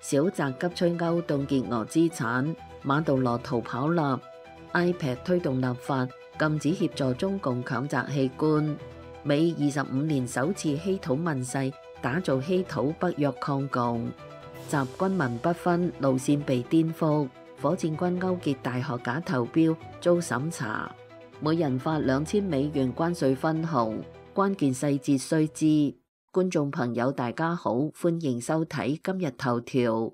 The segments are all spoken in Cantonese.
小澤急催歐凍結俄資產，馬杜羅逃跑啦。iPad 推動立法禁止協助中共強摘器官。美25年首次稀土問世，打造稀土北約抗共。習軍民不分，路線被顛覆。火箭軍勾結大學假投標遭審查。每人發$2000關稅分紅，關鍵細節須知。觀眾朋友大家好，歡迎收睇今日頭條。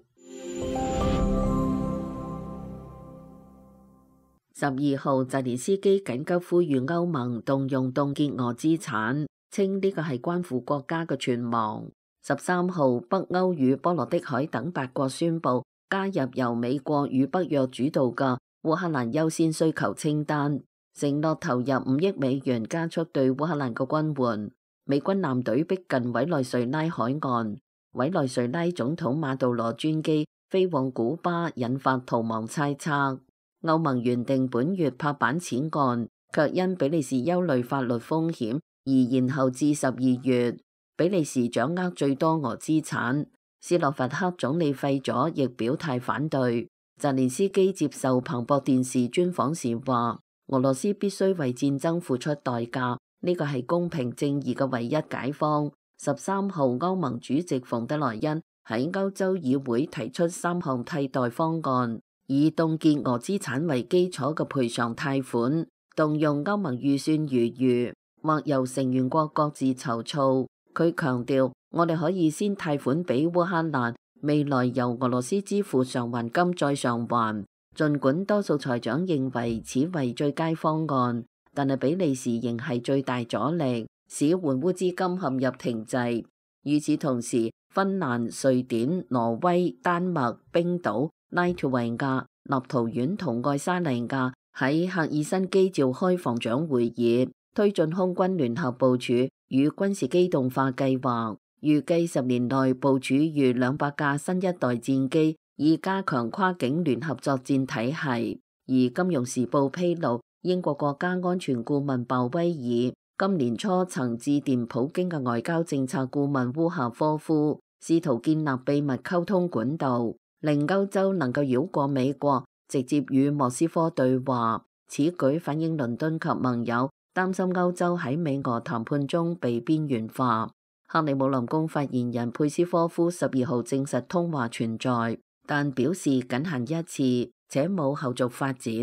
12號，澤連斯基緊急呼籲歐盟動用凍結俄資產，稱呢個係關乎國家嘅存亡。13號，北歐與波羅的海等8國宣布加入由美國與北約主導嘅烏克蘭優先需求清單，承諾投入5億美元加速對烏克蘭嘅軍援。美軍艦隊逼近委內瑞拉海岸，委內瑞拉總統馬杜羅專機飛往古巴，引發逃亡猜測。歐盟原定本月拍板此案，卻因比利時憂慮法律風險而延後至12月。比利時掌握最多俄資產，斯洛伐克總理費佐亦表態反對。澤連斯基接受彭博電視專訪時話，俄羅斯必須為戰爭付出代價，呢個係公平正義嘅唯一解方。13號，歐盟主席馮德萊恩喺歐洲議會提出3項替代方案，以凍結俄資產為基礎嘅賠償貸款，動用歐盟預算餘餘，或由成員國各自籌措。佢強調，我哋可以先貸款俾烏克蘭，未來由俄羅斯支付償還金再償還。儘管多數財長認為此為最佳方案，但係比利時仍係最大阻力，使援烏資金陷入停滯。與此同時，芬蘭、瑞典、挪威、丹麥、冰島、拉脫維亞、立陶宛同愛沙尼亞喺赫爾辛基召開防長會議，推進空軍聯合部署與軍事機動化計劃，預計10年內部署逾200架新一代戰機，以加強跨境聯合作戰體系。而《金融時報》披露，英國國家安全顧問鮑威爾今年初曾致電普京嘅外交政策顧問烏夏科夫，試圖建立秘密溝通管道，令歐洲能夠繞過美國，直接與莫斯科對話。此舉反映倫敦及盟友擔心歐洲喺美俄談判中被邊緣化。克里姆林宮發言人佩斯科夫12號證實通話存在，但表示僅限一次，且冇後續發展。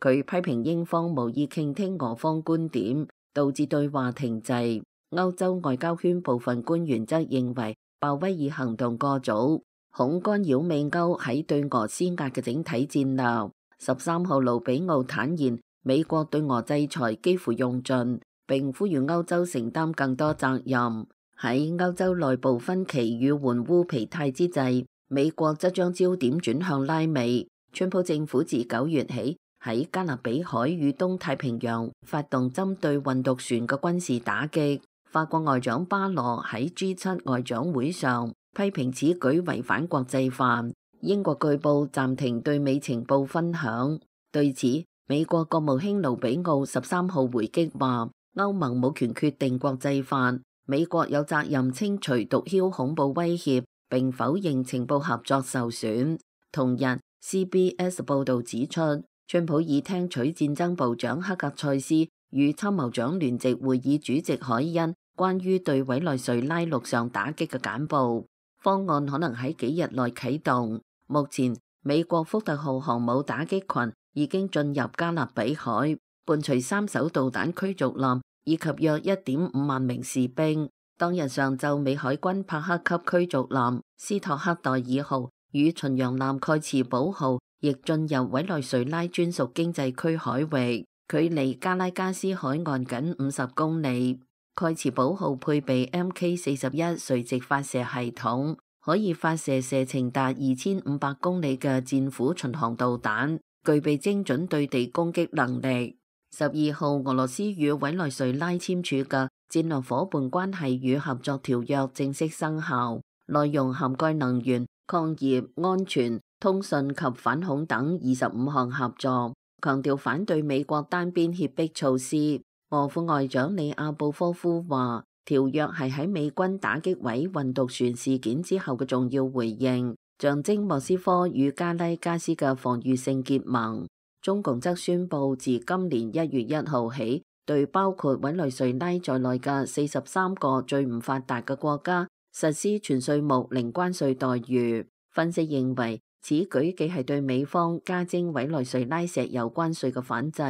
佢批評英方無意傾聽俄方觀點，導致對話停滯。歐洲外交圈部分官員則認為鮑威爾行動過早，恐干擾美歐喺對俄施壓嘅整體戰略。13號，盧比奧坦言，美國對俄制裁幾乎用盡，並呼籲歐洲承擔更多責任。喺歐洲內部分歧與援烏疲態之際，美國則將焦點轉向拉美。川普政府自9月起喺加勒比海與東太平洋發動針對運毒船嘅軍事打擊。法國外長巴羅喺 G7 外長會上批評此舉違反國際法。英國據報暫停對美情報分享。對此，美國國務卿盧比奧13號回擊話，歐盟冇權決定國際法，美國有責任清除毒梟恐怖威脅，並否認情報合作受損。同日 CBS 報導指出，川普已聽取戰爭部長克格塞斯與參謀長聯席會議主席凱恩關於對委內瑞拉陸上打擊嘅簡報，方案可能喺幾日內啟動。目前，美國福特號航母打擊群已經進入加勒比海，伴隨3艘導彈驅逐艦以及約1.5萬名士兵。當日上晝，美海軍帕克級驅逐艦斯托克代爾號與巡洋艦蓋茨堡號亦進入委內瑞拉專屬經濟區海域，距離加拉加斯海岸僅50公里。蓋茨堡號配備 MK41 垂直發射系統，可以發射射程達2500公里嘅戰斧巡航導彈，具備精準對地攻擊能力。12號，俄羅斯與委內瑞拉簽署嘅戰略夥伴關係與合作條約正式生效，內容涵蓋能源、礦業、安全、通訊及反恐等25項合作，強調反對美國單邊脅迫措施。俄副外長里亞布科夫話，條約係喺美軍打擊毀運毒船事件之後嘅重要回應，象徵莫斯科與加拉加斯嘅防禦性結盟。中共則宣布自今年1月1號起，對包括委內瑞拉在內嘅43個最唔發達嘅國家實施全稅目零關稅待遇。分析認為，此舉既係對美方加徵委內瑞拉石油關稅嘅反制，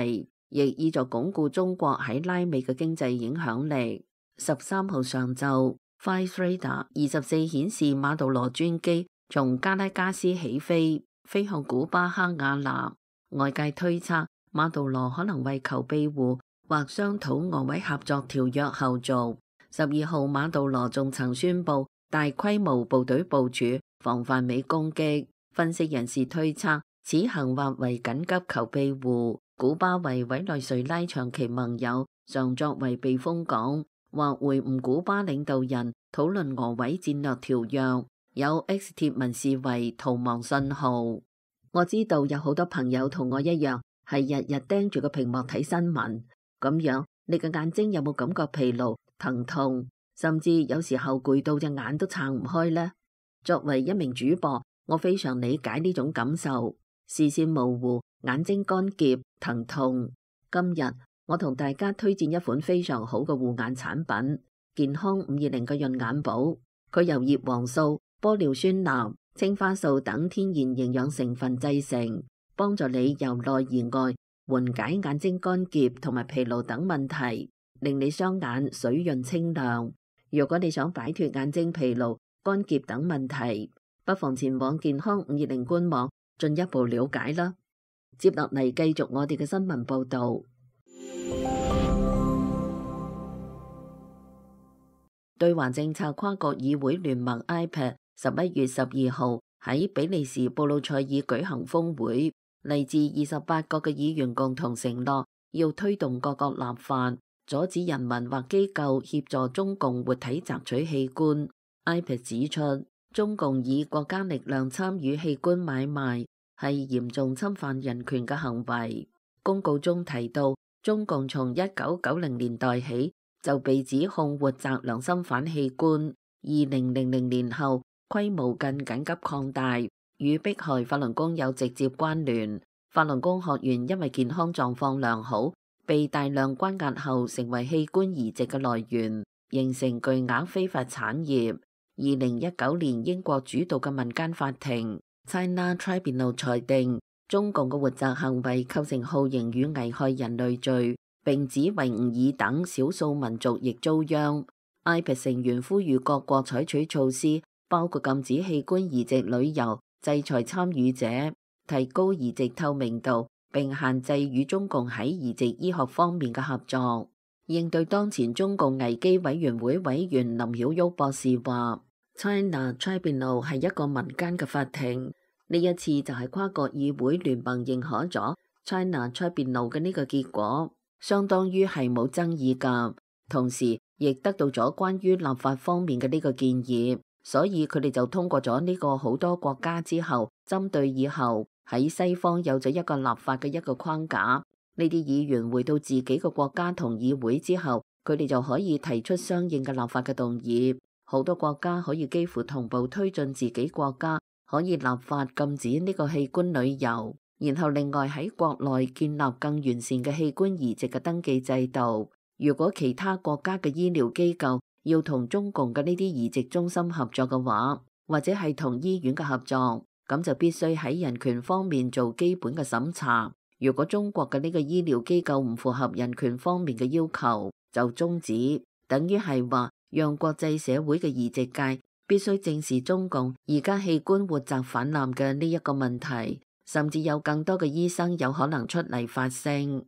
亦意在鞏固中國喺拉美嘅經濟影響力。13號上晝，Flight Radar 24顯示馬杜羅專機從加拉加斯起飛，飛向古巴哈瓦那。外界推測，馬杜羅可能為求庇護或商討俄委合作條約後續。12號，馬杜羅仲曾宣布大規模部隊部署，防範美攻擊。分析人士推測，此行或為緊急求庇護。古巴為委內瑞拉長期盟友，常作為避風港，或會晤古巴領導人討論俄委戰略條約。有 X 貼文視為逃亡信號。我知道有好多朋友同我一樣，係日日盯住個屏幕睇新聞，咁樣你嘅眼睛有冇感覺疲勞、疼痛，甚至有時候攰到隻眼都撐唔開呢？作為一名主播，我非常理解呢種感受，視線模糊、眼睛乾澀、疼痛。今日我同大家推薦一款非常好嘅護眼產品——健康520嘅潤眼寶。佢由葉黃素、玻尿酸鈉、青花素等天然營養成分製成，幫助你由內而外緩解眼睛乾澀同埋疲勞等問題，令你雙眼水潤清亮。如果你想擺脫眼睛疲勞、乾澀等問題，不妨前往健康520官網進一步了解啦。接落嚟繼續我哋嘅新聞報道。對華政策跨國議會聯盟 IPED 11月12號喺比利時布魯塞爾舉行峰會，嚟自28國嘅議員共同承諾要推動各國立法，阻止人民或機構協助中共活體摘取器官。IPED 指出，中共以國家力量參與器官買賣係嚴重侵犯人權嘅行為。公告中提到，中共從1990年代起就被指控活摘良心犯器官，2000年後規模更緊急擴大，與迫害法輪功有直接關聯。法輪功學員因為健康狀況良好，被大量關押後成為器官移植嘅來源，形成巨額非法產業。2019年英國主導嘅民間法庭 China Tribunal 裁定，中共嘅活摘行為構成酷刑與危害人類罪，並指維吾爾等少數民族亦遭殃。IPED 成員呼籲各國採取措施，包括禁止器官移植旅遊、制裁參與者、提高移植透明度，並限制與中共喺移植醫學方面嘅合作。應對當前中共危機委員會委員林曉旭博士話：China Tribunal 係一個民間嘅法庭，呢一次就係跨國議會聯盟認可咗 China Tribunal 嘅呢個結果，相當於係冇爭議㗎，同時亦得到咗關於立法方面嘅呢個建議，所以佢哋就通過咗呢個好多國家之後，針對以後喺西方有咗一個立法嘅一個框架。呢啲議員回到自己嘅國家同議會之後，佢哋就可以提出相應嘅立法嘅動議。好多國家可以幾乎同步推進自己國家可以立法禁止呢個器官旅遊，然後另外喺國內建立更完善嘅器官移植嘅登記制度。如果其他國家嘅醫療機構要同中共嘅呢啲移植中心合作嘅話，或者係同醫院嘅合作，咁就必須喺人權方面做基本嘅審查。如果中國嘅呢個醫療機構唔符合人權方面嘅要求，就終止，等於係話讓國際社會嘅移植界必須正視中共而家器官活摘氾濫嘅呢一個問題，甚至有更多嘅醫生有可能出嚟發聲。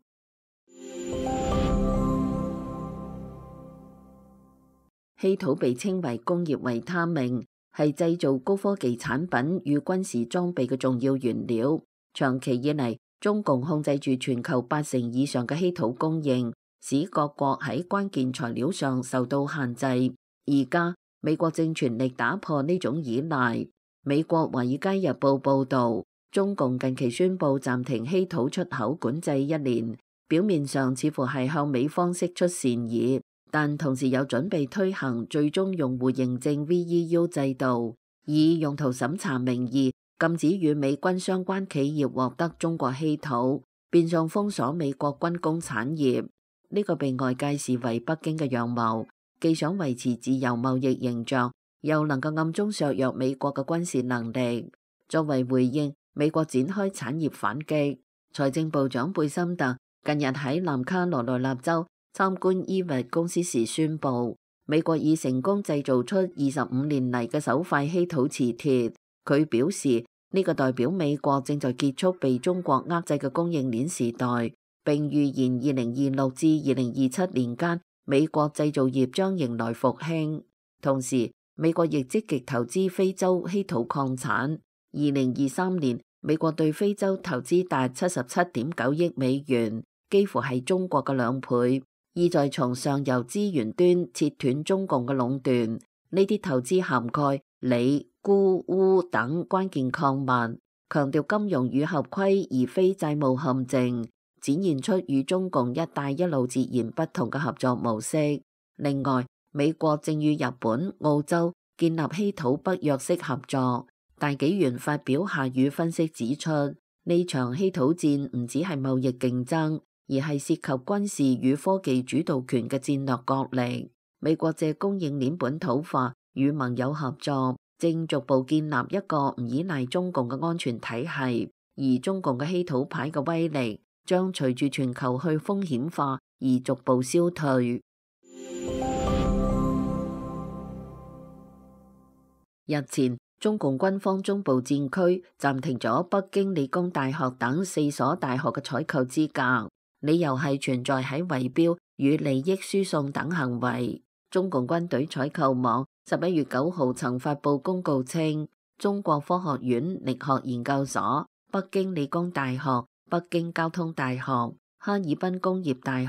稀土被稱為工業維他命，係製造高科技產品與軍事裝備嘅重要原料。長期以嚟，中共控制住全球80%以上嘅稀土供應，使各國喺關鍵材料上受到限制。而家美國正全力打破呢種依賴。美國《華爾街日報》報導，中共近期宣布暫停稀土出口管制1年，表面上似乎係向美方釋出善意，但同時有準備推行最終用戶認證 VEU 制度，以用途審查名義禁止與美軍相關企業獲得中國稀土，變相封鎖美國軍工產業。呢個被外界視為北京嘅陽謀，既想維持自由貿易形象，又能夠暗中削弱美國嘅軍事能力。作為回應，美國展開產業反擊。財政部長貝森特近日喺南卡羅來納州參觀伊維公司時宣布，美國已成功製造出25年嚟嘅首塊稀土磁鐵。佢表示，呢個代表美國正在結束被中國壓制嘅供應鏈時代，並預言2026至2027年間，美國製造業將迎來復興。同時，美國亦積極投資非洲稀土礦產。2023年，美國對非洲投資達77.9億美元，幾乎係中國嘅2倍，意在從上游資源端切斷中共嘅壟斷。呢啲投資涵蓋鋰、鈷、鎢等關鍵礦物，強調金融與合規而非債務陷阱，展現出與中共一帶一路截然不同嘅合作模式。另外，美國正與日本、澳洲建立稀土北約式合作。大紀元發表下雨分析指出，呢場稀土戰唔只係貿易競爭，而係涉及軍事與科技主導權嘅戰略角力。美國借供應鏈本土化與盟友合作，正逐步建立一個唔依賴中共嘅安全體系，而中共嘅稀土牌嘅威力將隨住全球去風險化而逐步消退。日前，中共軍方中部戰區暫停咗北京理工大學等4所大學嘅採購資格，理由係存在喺圍標與利益輸送等行為。中共軍隊採購網11月9號曾發布公告稱，中國科學院力學研究所、北京理工大學、北京交通大學、哈爾濱工業大學、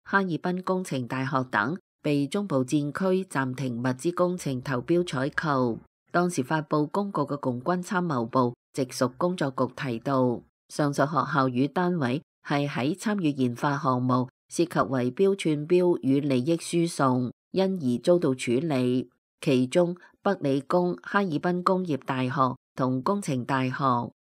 哈爾濱工程大學等被中部戰區暫停物資工程投標採購。當時發布公告嘅共軍參謀部直屬工作局提到，上述學校與單位係喺參與研發項目涉及圍標串標與利益輸送，因而遭到處理。其中，北理工、哈爾濱工業大學同工程大學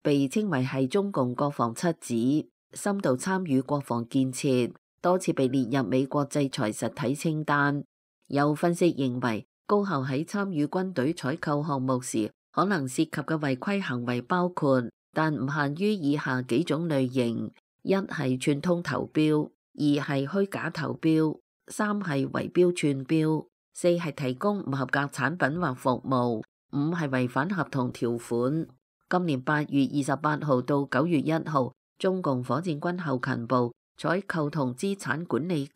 被稱為係中共國防七子，深度參與國防建設，多次被列入美國制裁實體清單。有分析認為，高校喺參與軍隊採購項目時，可能涉及嘅違規行為包括，但唔限於以下幾種類型：一係串通投標，二係虛假投標，三係圍標串標，四係提供唔合格產品或服務，五係違反合同條款。今年8月28號到9月1號，中共火箭軍後勤部採購同資產管理局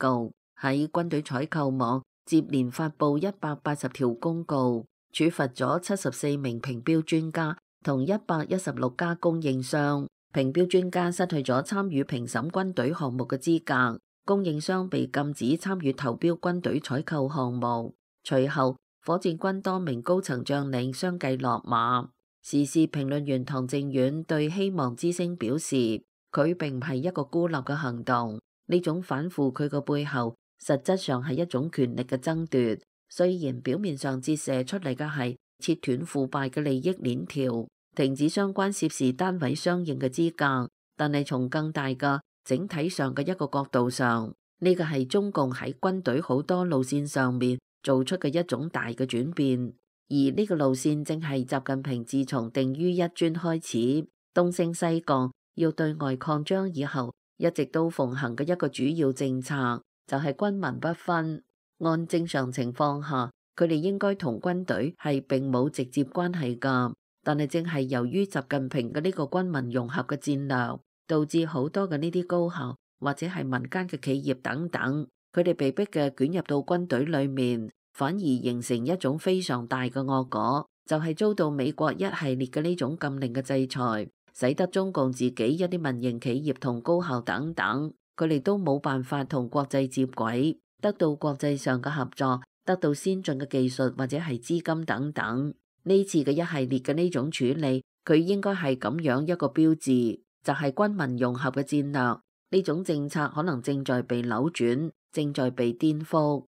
喺軍隊採購網接連發布180條公告，處罰咗74名評標專家同116家供應商。評標專家失去咗參與評審軍隊項目嘅資格，供應商被禁止參與投標軍隊採購項目。隨後，火箭軍多名高層將領相繼落馬。時事評論員唐正遠對希望之聲表示，佢並唔係一個孤立嘅行動，呢種反腐佢嘅背後，實質上係一種權力嘅爭奪，雖然表面上折射出嚟嘅係切斷腐敗嘅利益鏈條，停止相關涉事單位相應嘅資格，但係從更大嘅整體上嘅一個角度上，呢個係中共喺軍隊好多路線上面做出嘅一種大嘅轉變，而呢個路線正係習近平自從定於一尊開始，東升西降，要對外擴張以後，一直都奉行嘅一個主要政策。就係軍民不分，按正常情況下，佢哋應該同軍隊係並冇直接關係㗎。但係正係由於習近平嘅呢個軍民融合嘅戰略，導致好多嘅呢啲高校或者係民間嘅企業等等，佢哋被逼嘅捲入到軍隊裡面，反而形成一種非常大嘅惡果，就係遭到美國一系列嘅呢種禁令嘅制裁，使得中共自己一啲民營企業同高校等等，佢哋都冇辦法同國際接軌，得到國際上嘅合作，得到先進嘅技術或者係資金等等。呢次嘅一系列嘅呢種處理，佢應該係咁樣一個標誌，就係軍民融合嘅戰略。呢種政策可能正在被扭轉，正在被顛覆。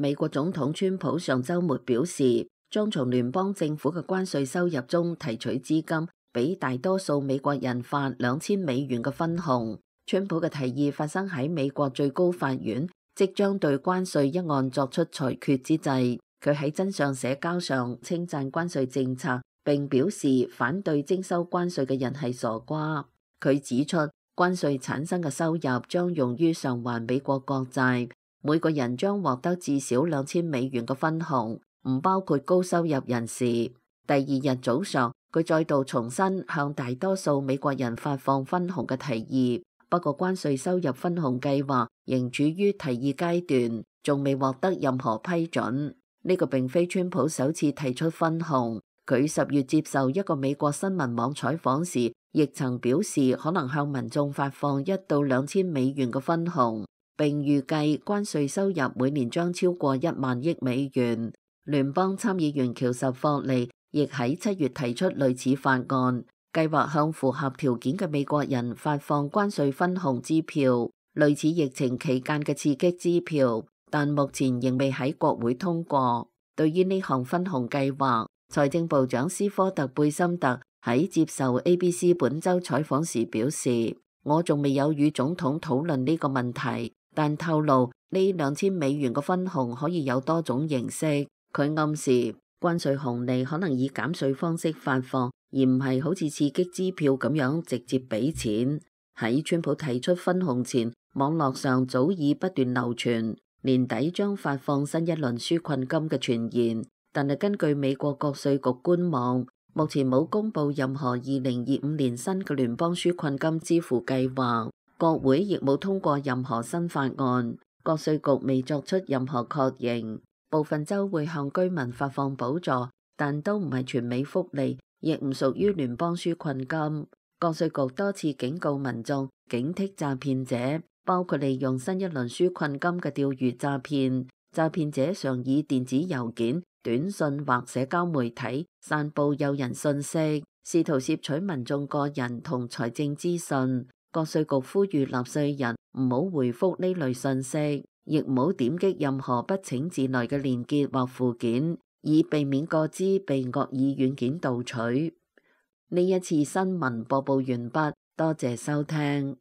美國總統川普上週末表示，將從聯邦政府嘅關稅收入中提取資金，俾大多數美國人發$2000嘅分紅。川普嘅提議發生喺美國最高法院即將對關稅一案作出裁決之際。佢喺真相社交上稱讚關稅政策，並表示反對徵收關稅嘅人係傻瓜。佢指出，關稅產生嘅收入將用於償還美國國債，每個人將獲得至少$2000嘅分紅，唔包括高收入人士。第二日早上，佢再度重申向大多數美國人發放分紅嘅提議，不過關稅收入分紅計劃仍處於提議階段，仲未獲得任何批准。呢個並非川普首次提出分紅，佢10月接受一個美國新聞網採訪時，亦曾表示可能向民眾發放$1到$2000嘅分紅，並預計關稅收入每年將超過$10,000億。聯邦參議員喬什霍利亦喺7月提出類似法案，計劃向符合條件嘅美國人發放關稅分紅支票，類似疫情期間嘅刺激支票。但目前仍未喺國會通過。對於呢項分紅計劃，財政部長斯科特貝森特喺接受 ABC 本周採訪時表示：我仲未有與總統討論呢個問題，但透露呢$2000嘅分紅可以有多種形式。佢暗示關稅紅利可能以減稅方式發放，而唔係好似刺激支票咁樣直接俾錢。喺川普提出分紅前，網絡上早已不斷流傳年底將發放新一輪紓困金嘅傳言，但係根據美國國稅局官網，目前冇公布任何2025年新嘅聯邦紓困金支付計劃，國會亦冇通過任何新法案，國稅局未作出任何確認。部分州會向居民發放補助，但都唔係全美福利，亦唔屬於聯邦紓困金。國稅局多次警告民眾警惕詐騙者，包括利用新一輪紓困金嘅釣魚詐騙。詐騙者常以電子郵件、短信或社交媒體散布誘人信息，試圖竊取民眾個人同財政資訊。國稅局呼籲納稅人唔好回覆呢類信息，亦唔好點擊任何不請自來嘅連結或附件，以避免個資被惡意軟件盜取。呢一次新聞播報完畢，多謝收聽。